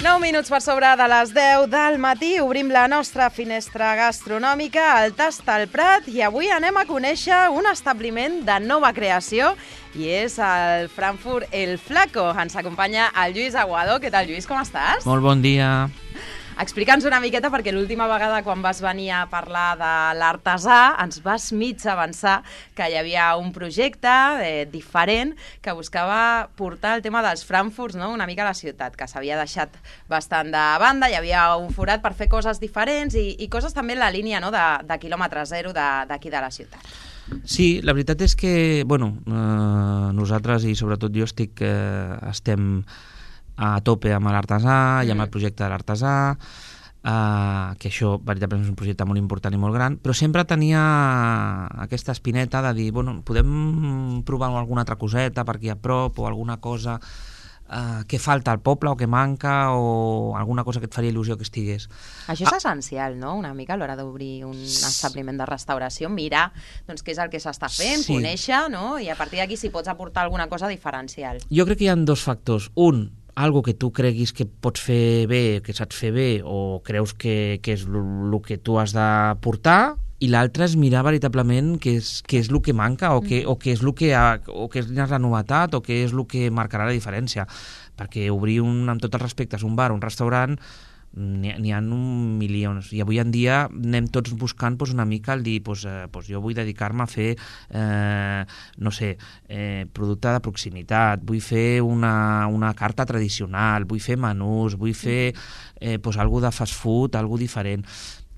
9 minuts per sobre de les 10 del matí, obrim la nostra finestra gastronòmica, el Tast al Prat, i avui anem a conèixer un establiment de nova creació, i és el Frankfurt El Flaco. Ens acompanya el Lluís Aguado. Què tal, Lluís, com estàs? Molt bon dia. Explica'ns una miqueta, perquè l'última vegada quan vas venir a parlar de l'artesà ens vas mig avançar que hi havia un projecte diferent que buscava portar el tema dels Frankfurts, no? Una mica a la ciutat, que s'havia deixat bastant de banda, hi havia un forat per fer coses diferents i coses també en la línia, no? de quilòmetre zero d'aquí de la ciutat. Sí, la veritat és que nosaltres i sobretot jo estem a tope amb l'artesà i amb el projecte de l'artesà, que això veritablement és un projecte molt important i molt gran, però sempre tenia aquesta espineta de dir, podem provar alguna altra coseta per aquí a prop o alguna cosa que falta al poble o que manca o alguna cosa que et faria il·lusió que estigués. Això és essencial, no?, una mica a l'hora d'obrir un establiment de restauració, mirar què és el que s'està fent, conèixer, no?, i a partir d'aquí si pots aportar alguna cosa diferencial. Jo crec que hi ha dos factors. Algo que tu creguis que pots fer bé, que saps fer bé, o creus que és el que tu has de portar, i l'altre és mirar veritablement què és el que manca o què és la novetat o què és el que marcarà la diferència. Perquè obrir, amb tots els respectes, un bar, un restaurant, n'hi ha milions, i avui en dia anem tots buscant una mica el dir, jo vull dedicar-me a fer producte de proximitat, vull fer una carta tradicional, vull fer menús, vull fer alguna de fast food, alguna diferent.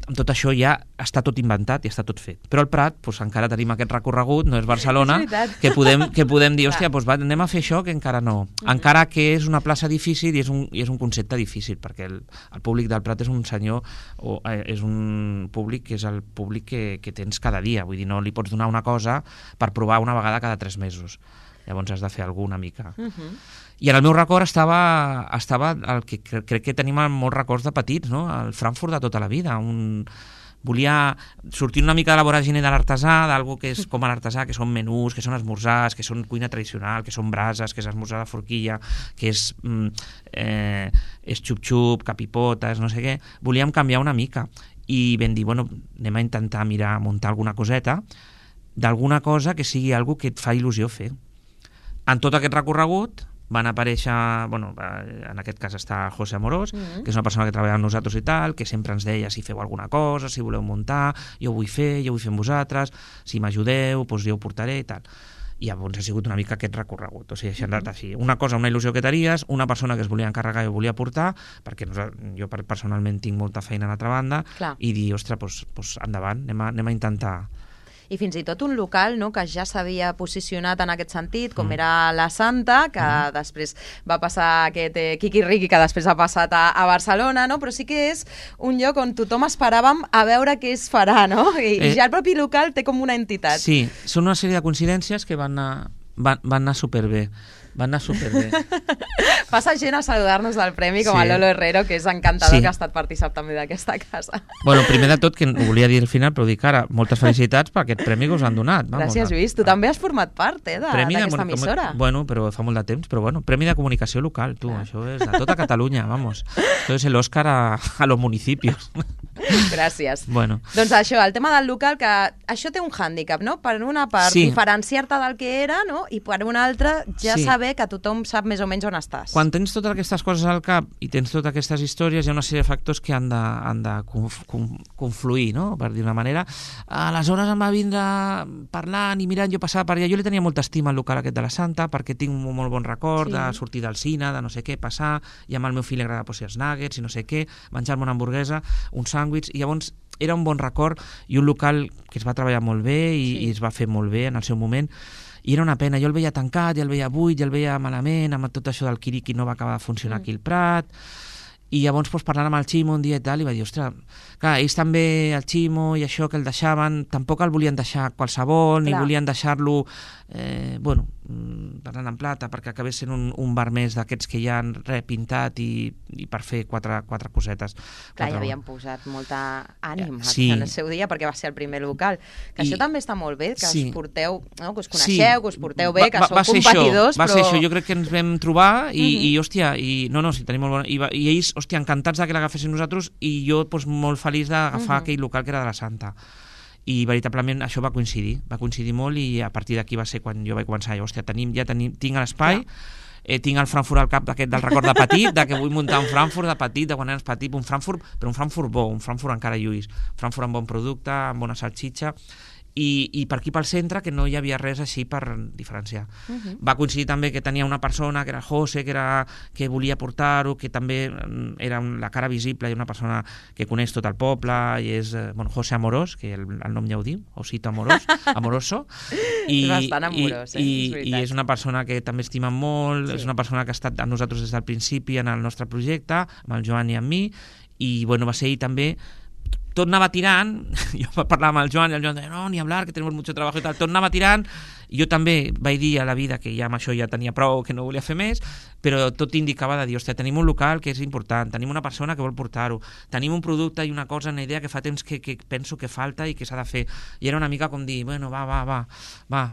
Amb tot això ja està tot inventat i està tot fet. Però al Prat encara tenim aquest recorregut, no és Barcelona, que podem dir, hòstia, anem a fer això, que encara no. Encara que és una plaça difícil i és un concepte difícil, perquè el públic del Prat és un senyor, o és un públic que és el públic que tens cada dia. Vull dir, no li pots donar una cosa per provar una vegada cada 3 mesos. Llavors has de fer alguna mica. I en el meu record estava el que crec que tenim molts records de petits, no? El Frankfurt de tota la vida. Volia sortir una mica de la voràgine de l'artesà, d'algú que és com a l'artesà, que són menús, que són esmorzars, que són cuina tradicional, que són brases, que és esmorzar de forquilla, que és xup-xup, capipotes, no sé què. Volíem canviar una mica i vam dir, anem a intentar muntar alguna coseta d'alguna cosa que sigui alguna que et fa il·lusió fer. En tot aquest recorregut van aparèixer, en aquest cas està José Amorós, que és una persona que treballa amb nosaltres i tal, que sempre ens deia si feu alguna cosa, si voleu muntar, jo ho vull fer amb vosaltres, si m'ajudeu, jo ho portaré i tal. I llavors ha sigut una mica aquest recorregut. O sigui, això ha anat així. Una cosa, una il·lusió que tenies, una persona que es volia encarregar i ho volia portar, perquè jo personalment tinc molta feina a l'altra banda, i dir, ostres, endavant, anem a intentar. I fins i tot un local, no?, que ja s'havia posicionat en aquest sentit, com era la Santa, que després va passar aquest quiqui-riqui, que després ha passat a Barcelona, no?, però sí que és un lloc on tothom esperàvem a veure què es farà, no?, i ja el propi local té com una entitat. Sí, són una sèrie de coincidències que van anar superbé. Passa gent a saludar-nos del premi, com el Lolo Herrero, que és encantador, que ha estat partícip també d'aquesta casa. Primer de tot, que ho volia dir al final, però dic ara, moltes felicitats per aquest premi que us han donat. Gràcies, Lluís. Tu també has format part d'aquesta emissora. Però fa molt de temps, però Premi de Comunicació Local, tu, això és de tota Catalunya, vamos. Això és l'Òscar a los municipios. Gràcies. Doncs això, el tema del local, que això té un hàndicap, no? Per una part, diferenciar-te del que era, no? I per una altra, ja saber que tothom sap més o menys on estàs. Quan tens totes aquestes coses al cap i tens totes aquestes històries, hi ha una sèrie de factors que han de confluir, no?, per dir una manera. Aleshores em va vindre parlant i mirant, jo passava per allà, jo li tenia molta estima al local aquest de la Santa, perquè tinc un molt bon record de sortir del cine, de no sé què, passar, i amb el meu fill li agrada posar els nuggets i no sé què, menjar-me una hamburguesa, un sàndwich, i llavors era un bon record i un local que es va treballar molt bé i es va fer molt bé en el seu moment. I era una pena, jo el veia tancat, ja el veia buit, ja el veia malament, amb tot això del Quiriqui no va acabar de funcionar aquí al Prat, i llavors parlant amb el Ximo un dia i tal, i va dir, ostres, clar, ells també, el Ximo i això que el deixaven, tampoc el volien deixar qualsevol, ni volien deixar-lo parlant en plata, perquè acabés sent un bar més d'aquests que ja han repintat i per fer quatre cosetes. Clar, ja havien posat molta ànima Sí. en el seu dia, perquè va ser el primer local. Que això també està molt bé, que Sí. us porteu, no? Que us Sí. coneixeu, que us porteu bé, que sou va ser competidors, això, va però... ser això, jo crec que ens vam trobar i hòstia, sí, tenim molt bona... I ells, hòstia, encantats que l'agafessin nosaltres i jo molt feliç d'agafar aquell local que era de la Santa. I veritablement això va coincidir molt i a partir d'aquí va ser quan jo vaig començar, hòstia, tinc l'espai, tinc el Frankfurt al cap d'aquest del record de petit, de que vull muntar un Frankfurt de petit, de quan eres petit, un Frankfurt, però un Frankfurt bo, un Frankfurt encara lluís, un Frankfurt amb bon producte, amb bona salxitxa, i per aquí pel centre que no hi havia res així per diferenciar. Va coincidir també que tenia una persona que era José, que volia portar-ho, que també era la cara visible i una persona que coneix tot el poble i és José Amorós, que el nom ja ho diu, Osito Amorós, Amoroso, és bastant amorós, i és una persona que també estima molt, és una persona que ha estat amb nosaltres des del principi en el nostre projecte, amb el Joan i amb mi, i va ser ell també. Tot anava tirant, jo parlava amb el Joan i el Joan deia, no, ni hablar, que tenemos mucho trabajo i tal, tot anava tirant, jo també vaig dir a la vida que ja amb això ja tenia prou, que no volia fer més, però tot indicava de dir, hòstia, tenim un local que és important, tenim una persona que vol portar-ho, tenim un producte i una cosa, una idea que fa temps que penso que falta i que s'ha de fer, i era una mica com dir, bueno, va,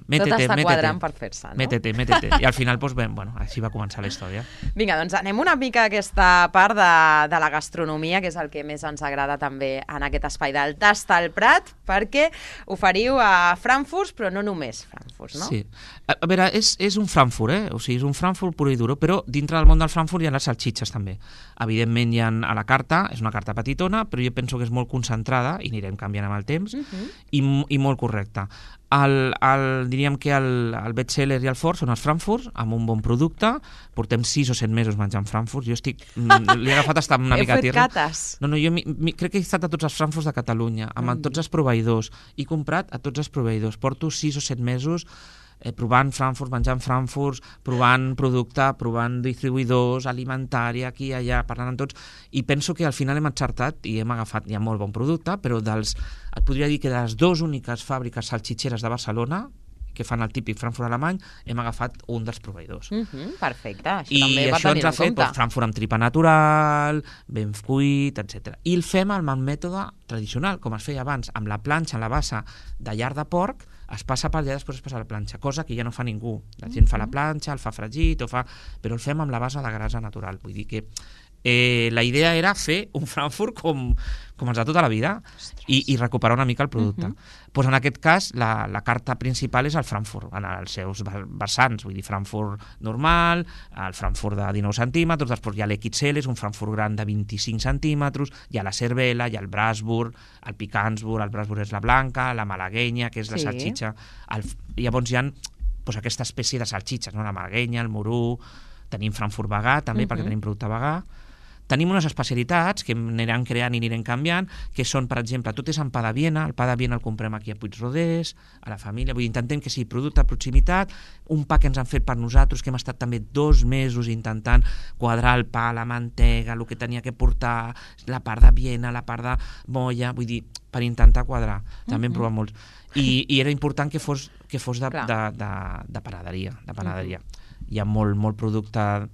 métete. Tot està quadrant per fer-se, no? Métete, i al final, així va començar la història. Vinga, doncs anem una mica a aquesta part de la gastronomia, que és el que més ens agrada també en aquest espai del Tast al Prat, perquè oferiu a Frankfurt, però no només Frankfurt, no? Sí. A veure, és un Frankfurt, o sigui, és un Frankfurt pur i duro, però dintre del món del Frankfurt hi ha les salxitxes també. Evidentment hi ha a la carta, és una carta petitona, però jo penso que és molt concentrada, i anirem canviant amb el temps, i molt correcta. Diríem que el best-seller i el fort són els Frankfurt, amb un bon producte. Portem 6 o 7 mesos menjant Frankfurt. Jo li he agafat estar una mica a tierra. Heu fet cates? No, jo crec que he estat a tots els Frankfurts de Catalunya, amb tots els proveïdors. He comprat a tots els proveïdors. Porto 6 o 7 mesos provant Frankfurt, menjant Frankfurt, provant producte, provant distribuïdors, alimentària, aquí i allà, parlant amb tots, i penso que al final hem encertat i hem agafat ja molt bon producte, però et podria dir que de les 2 úniques fàbriques salxitxeres de Barcelona, que fan el típic Frankfurt alemany, hem agafat un dels proveïdors. Perfecte, això també va tenir en compte. I això ens ha fet Frankfurt amb tripa natural, ben cuit, etc. I el fem amb el mètode tradicional, com es feia abans, amb la planxa, amb la bassa de llar de porc, es passa per allà, després es passa a la planxa, cosa que ja no fa ningú. La gent fa la planxa, el fa fregit, però el fem amb la base de grasa natural. Vull dir que la idea era fer un Frankfurt com els de tota la vida i recuperar una mica el producte. Pues en aquest cas, la carta principal és el Frankfurt, en els seus vessants, vull dir, Frankfurt normal, el Frankfurt de 19 centímetres, després hi ha l'XL, és un Frankfurt gran de 25 centímetres, hi ha la cervela, hi ha el Brasburg, el Picansburg, el Brasburg és la blanca, la malaguenya, que és la salxitxa. Llavors hi ha aquesta espècie de salxitxes, la malaguenya, el morú, tenim Frankfurt vegà també, perquè tenim producte vegà. Tenim unes especialitats que anirem creant i anirem canviant, que són, per exemple, tot és en pa de Viena, el pa de Viena el comprem aquí a Puigroders, a la família, vull dir, intentem que sigui producte de proximitat, un pa que ens han fet per nosaltres, que hem estat també 2 mesos intentant quadrar el pa, la mantega, el que tenia que portar, la part de Viena, la part de molla, vull dir, per intentar quadrar, també hem provat molts. I era important que fos de panaderia. Hi ha molt producte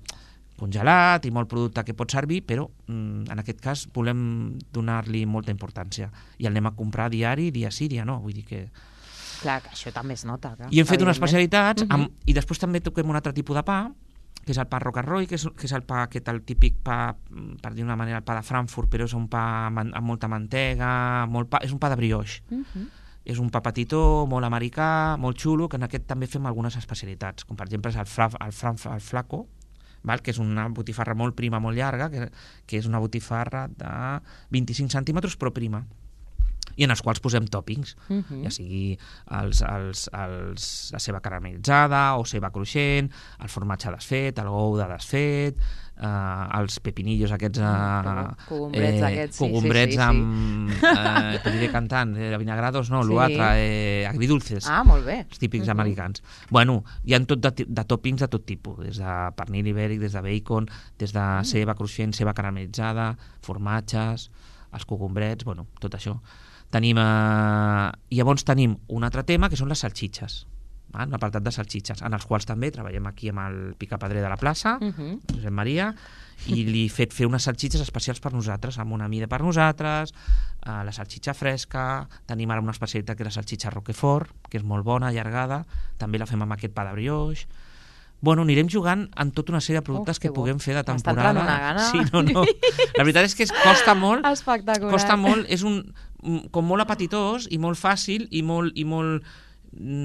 congelat i molt producte que pot servir, però en aquest cas volem donar-li molta importància i el anem a comprar diari, dia sí, dia no, vull dir que... Clar, que això també es nota. I hem fet unes especialitats i després també toquem un altre tipus de pa, que és el pa Roquerroy, que és el pa, el típic pa, per dir d'una manera, el pa de Frankfurt, però és un pa amb molta mantega, és un pa de brioix. És un pa petitó, molt americà, molt xulo, que en aquest també fem algunes especialitats, com per exemple és el flaco, que és una botifarra molt prima, molt llarga, que és una botifarra de 25 centímetres, però prima, i en els quals posem tòpings, ja sigui la ceba caramelitzada o ceba cruixent, el formatge desfet, el gou de desfet, els pepinillos aquests cogombrets amb podria cantant, vinagrados no, l'altre, agridulces, molt bé, els típics americans. Bueno, hi ha tot de tòpings de tot tipus, des de pernil ibèric, des de bacon, des de ceba cruixent, ceba caramelitzada, formatges, els cogombrets, bueno, tot això. Llavors tenim un altre tema que són les salxitxes. un apartat de salsitxes, en els quals també treballem aquí amb el picapedrer de la plaça, Josep Maria, i li he fet fer unes salsitxes especials per nosaltres, amb una mida per nosaltres, la salsitxa fresca, tenim ara una especialitat que és la salsitxa Roquefort, que és molt bona, allargada, també la fem amb aquest pa de brioix. Bueno, anirem jugant en tota una sèrie de productes que puguem fer de temporada. M'està entrant una gana. Sí, no. La veritat és que costa molt. Espectacular. Costa molt, és com molt apetitós i molt fàcil i molt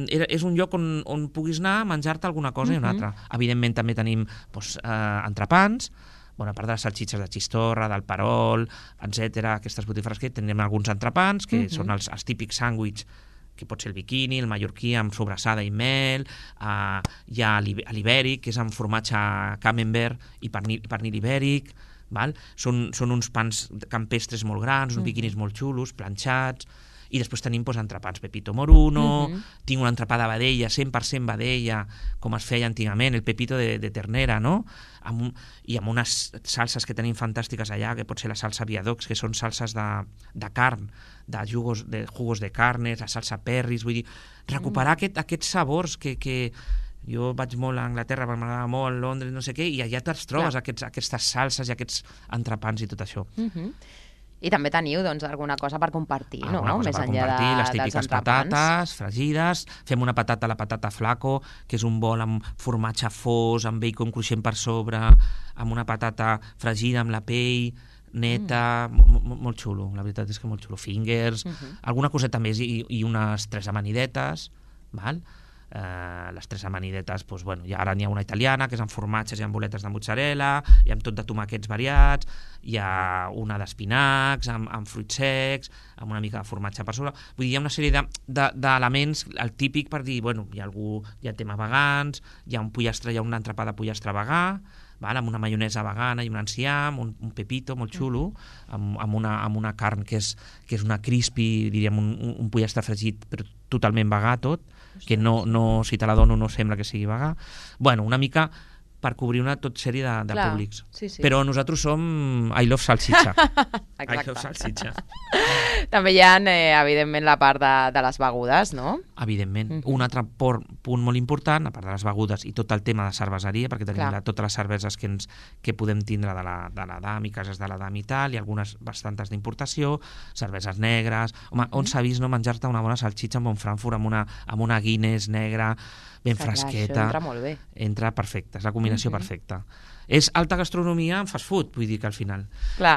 és un lloc on puguis anar a menjar-te alguna cosa i una altra. Evidentment també tenim entrepans, a part de les salsitxes de xistorra, del perol, etc. Aquestes botifarres que tenim alguns entrepans, que són els típics sàndwichs, que pot ser el biquini, el mallorquí amb sobrassada i mel, hi ha l'ibèric, que és amb formatge camembert i pernil ibèric, són uns pans campestres molt grans, uns biquinis molt xulos, planxats, i després tenim entrepans pepito moruno, tinc un entrepà de vedella, 100% vedella, com es feia antigament, el pepito de ternera, no? I amb unes salses que tenim fantàstiques allà, que pot ser la salsa viadox, que són salses de carn, de jugos de carnes, la salsa perris, vull dir, recuperar aquests sabors que jo vaig molt a Anglaterra, m'agradava molt, Londres, no sé què, i allà te'ls trobes, aquestes salses i aquests entrepans i tot això. I també teniu alguna cosa per compartir, no? Alguna cosa per compartir, les típiques patates fregides, fem una patata, la patata flaco, que és un bol amb formatge fos, amb bacon cruixent per sobre, amb una patata fregida amb la pell, neta, molt xulo, la veritat és que molt xulo. Fingers, alguna coseta més i unes 3 amanidetes, val? Les 3 amanidetes, ara n'hi ha una italiana, que és amb formatges i amb boletes de mozzarella, i amb tot de tomàquets variats, hi ha una d'espinacs, amb fruits secs, amb una mica de formatge per sobre. Vull dir, hi ha una sèrie d'elements, el típic per dir, hi ha tema vegans, hi ha un pollastre, hi ha un entrepà de pollastre vegà, amb una maionesa vegana i un enciam, un pepito molt xulo, amb una carn que és una crispy, diríem, un pollastre fregit, però totalment vegà tot, que no, si te la dono no sembla que sigui vegà. Una mica per cobrir una tot sèrie de públics. Sí. Però nosaltres som I love salsitxa. Exacte. I love salsitxa. També hi ha, evidentment, la part de les begudes, no? Evidentment. Un altre punt molt important, a part de les begudes i tot el tema de cerveseria, perquè tenim totes les cerveses que podem tindre de l'Adam i cases de l'Adam i tal, i algunes bastantes d'importació, cerveses negres. Home, on s'ha vist no menjar-te una bona salsitxa amb un Frankfurt, amb una Guinness negra, ben fresqueta. Això entra molt bé. Entra perfecte, és la combinació perfecta. És alta gastronomia en fast food, vull dir que al final. Clar.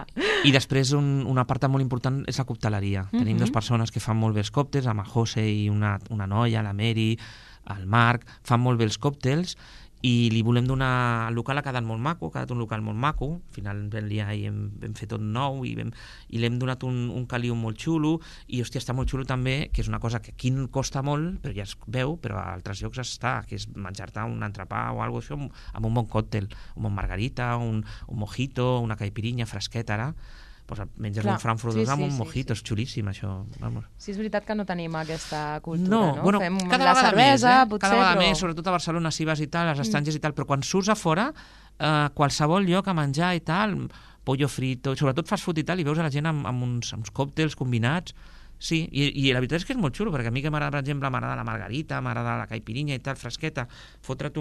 I després una part molt important és la cocteleria. Tenim 2 persones que fan molt bé els còctels, amb el José i una noia, la Mary, el Marc, fan molt bé els còctels, i li volem donar... El local ha quedat molt maco, ha quedat un local molt maco, al final vam liar i vam fer tot nou i l'hem donat un caliu molt xulo, i hòstia, està molt xulo també, que és una cosa que aquí costa molt, però ja es veu, però a altres llocs està, que és menjar-te un entrepà o alguna cosa així amb un bon còctel, un bon margarita, un mojito, una caipirinha fresqueta, ara. Menges un Frankfurt amb un mojito, és xulíssim això. Sí, és veritat que no tenim aquesta cultura, no? Fem la cervesa, potser, cada vegada més, sobretot a Barcelona, si vas i tal, als estrangers i tal, però quan surts a fora, qualsevol lloc a menjar i tal, pollo frito, sobretot fast food i tal, i veus a la gent amb uns còctels combinats. Sí, i la veritat és que és molt xulo, perquè a mi que m'agrada, per exemple, m'agrada la margarita, m'agrada la caipirinha i tal, fresqueta, fotre't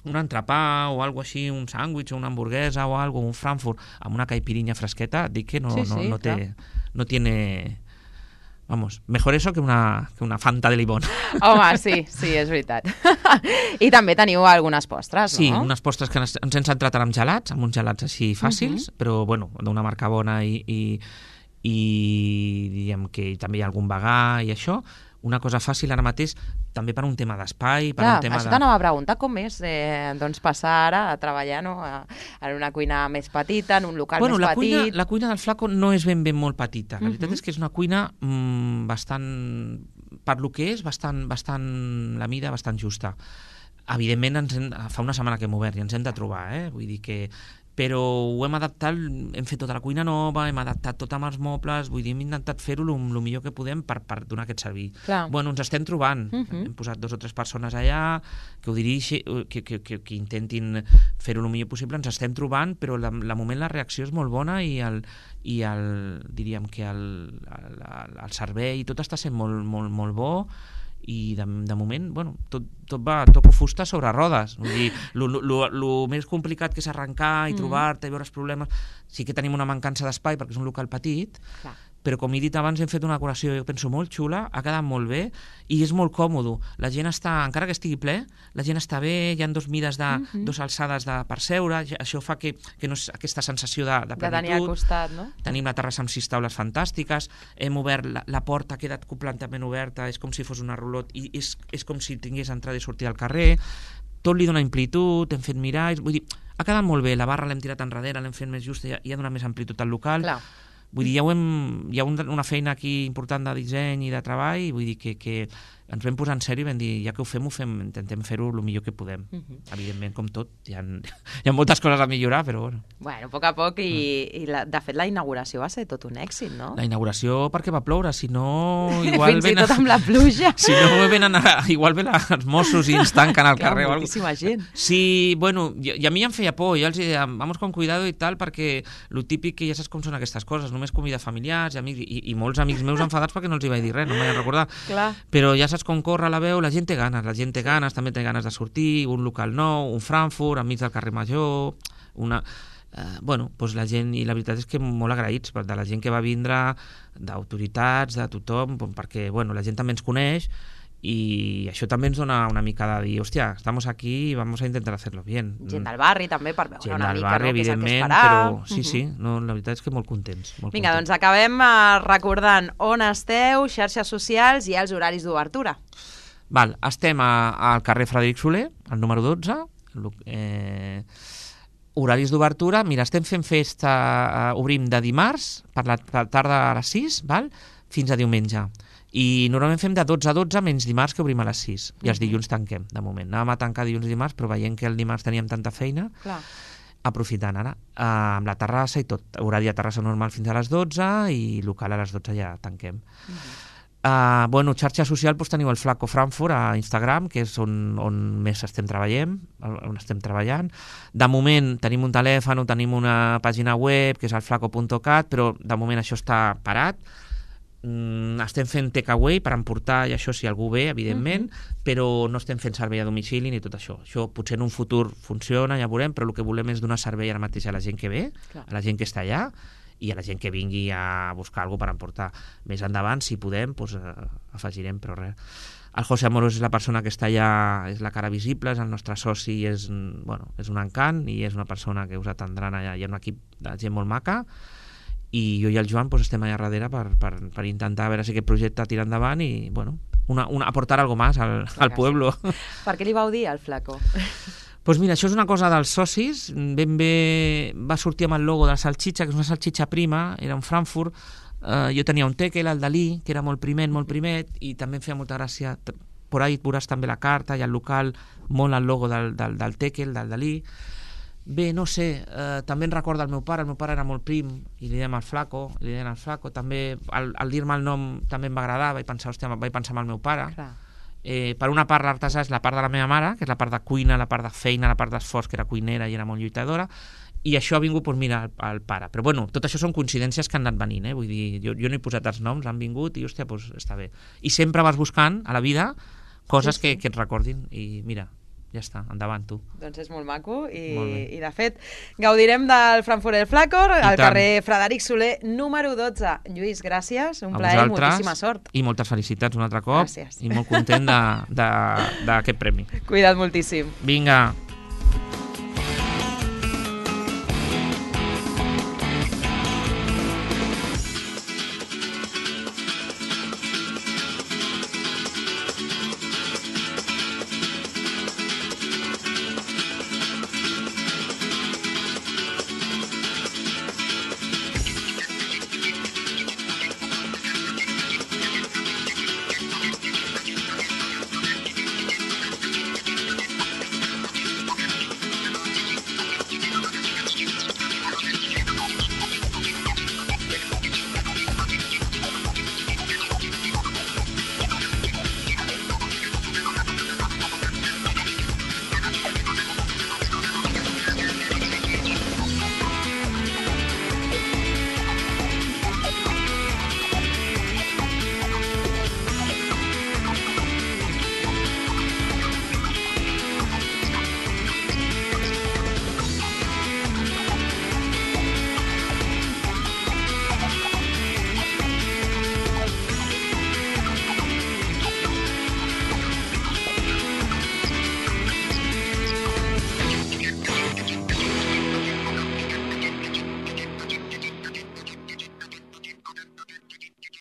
un entrepà o alguna així, un sàndwich o una hamburguesa o alguna, un Frankfurt amb una caipirinha fresqueta, dic que no tiene... Vamos, mejor eso que una Fanta de limón. Home, sí, és veritat. I també teniu algunes postres, no? Sí, unes postres que ens hem centrat amb gelats, amb uns gelats així fàcils, però bueno, d'una marca bona i diguem que també hi ha algun vegà i això. Una cosa fàcil ara mateix, també per un tema d'espai, per un tema això t'anava a preguntar com és passar ara a treballar en una cuina més petita, en un local més petit. La cuina del Flaco no és ben molt petita. La veritat és que és una cuina bastant, per lo que és, bastant la mida bastant justa. Evidentment, fa una setmana que hem obert i ens hem de trobar, vull dir que... Però ho hem adaptat, hem fet tota la cuina nova, hem adaptat tot amb els mobles, vull dir, hem intentat fer-ho el millor que podem per donar aquest servei. Bueno, ens estem trobant, hem posat 2 o 3 persones allà que ho dirigin, que intentin fer-ho el millor possible, ens estem trobant, però de moment la reacció és molt bona i diríem que el servei, tot està sent molt bo, i de moment, bueno, toco fusta sobre rodes. Vull dir, el més complicat que és arrencar i trobar-te i veure els problemes, sí que tenim una mancança d'espai perquè és un local petit, però com he dit abans hem fet una decoració, jo penso, molt xula, ha quedat molt bé i és molt còmode. La gent està, encara que estigui ple, la gent està bé, hi ha dos mides, dos alçades per seure, això fa que no és aquesta sensació de plenitud. De tenir al costat, no? Tenim la terrassa amb 6 taules fantàstiques, hem obert, la porta ha quedat completament oberta, és com si fos una rulot i és com si tingués entrada i sortida al carrer, tot li dona amplitud, hem fet miralls, vull dir, ha quedat molt bé, la barra l'hem tirat enrere, l'hem fet més justa i ha donat més amplitud al local. Clar. Vull dir, hi ha una feina aquí important de disseny i de treball, vull dir que ens vam posar en sèrio i vam dir, ja que ho fem, intentem fer-ho el millor que podem. Evidentment, com tot, hi ha moltes coses a millorar, però bueno. Bueno, a poc a poc, i de fet la inauguració va ser tot un èxit, no? La inauguració perquè va ploure, si no... igual Fins i tot amb la pluja. Si no, igual ven els Mossos i ens tanquen al carrer. Moltíssima gent. Sí, bueno, i a mi em feia por, jo els deia, vamos con cuidado i tal, perquè lo típic que ja saps com són aquestes coses, només convida familiars i amics, i molts amics meus enfadats perquè no els hi vaig dir res, no m'hi he recordat. Però ja saps com corre la veu, la gent té ganes, també té ganes de sortir, un local nou, un Frankfurt, enmig del carrer Major, bueno, doncs la gent, i la veritat és que molt agraïts de la gent que va vindre, d'autoritats, de tothom, perquè bueno, la gent també ens coneix, i això també ens dona una mica de dir, hòstia, estamos aquí i vamos a intentar hacerlo bien. Gent del barri també per veure una mica, barri, no? Què és el que esperar. Però sí, no, la veritat és que molt contents. Vinga, doncs acabem recordant on esteu, xarxes socials i els horaris d'obertura. Val, estem al carrer Frederic Soler, al número 12, horaris d'obertura, mira, estem fent festa, obrim de dimarts per la tarda a les 6, val? Fins a diumenge. I normalment fem de 12 a 12 menys dimarts, que obrim a les 6, i els dilluns tanquem, de moment. Anàvem a tancar dilluns i dimarts, però veient que el dimarts teníem tanta feina, aprofitant ara, amb la terrassa i tot, horari de terrassa normal fins a les 12 i local a les 12 ja tanquem. Bueno, xarxa social, doncs teniu el Flaco Frankfurt a Instagram, que és on més estem treballant. De moment tenim un telèfon, tenim una pàgina web, que és el flaco.cat, però de moment això està parat. Estem fent takeaway per emportar, i això si algú ve, evidentment, però no estem fent servei a domicili ni tot això. Això potser en un futur funciona, ja veurem, però el que volem és donar servei ara mateix a la gent que ve, a la gent que està allà, i a la gent que vingui a buscar alguna per emportar. Més endavant, si podem, doncs, afegirem, però res. El José Amorós és la persona que està allà, és la cara visible, és el nostre soci, és un encant, i és una persona que us atendran allà. Hi ha un equip de gent molt maca, i jo i el Joan estem allà darrere per intentar veure si aquest projecte tira endavant i aportar algo más al pueblo. Per què li vau dir al Flaco? Doncs mira, això és una cosa dels socis, ben bé va sortir amb el logo de la salxitxa, que és una salxitxa prima, era un Frankfurt, jo tenia un Tekel, el Dalí, que era molt primet, i també em feia molta gràcia, por ahí veuràs també la carta i el local, molt el logo del Tekel, del Dalí. Bé, no sé, també em recorda el meu pare era molt prim, i li deien al Flaco, també al dir-me el nom també em va agradar, vaig pensar en el meu pare. Per una part l'artesà és la part de la meva mare, que és la part de cuina, la part de feina, la part d'esforç, que era cuinera i era molt lluitadora, i això ha vingut, mira, al pare. Però bueno, tot això són coincidències que han anat venint, vull dir, jo no he posat els noms, han vingut i hòstia, doncs està bé. I sempre vas buscant a la vida coses que et recordin, i mira, ja està, endavant tu. Doncs és molt maco i de fet gaudirem del Frankfurt el Flaco al carrer Frederic Soler número 12. Lluís, gràcies, un plaer i moltíssima sort. I moltes felicitats un altre cop. Gràcies. I molt content d'aquest premi. Cuida't moltíssim. Vinga.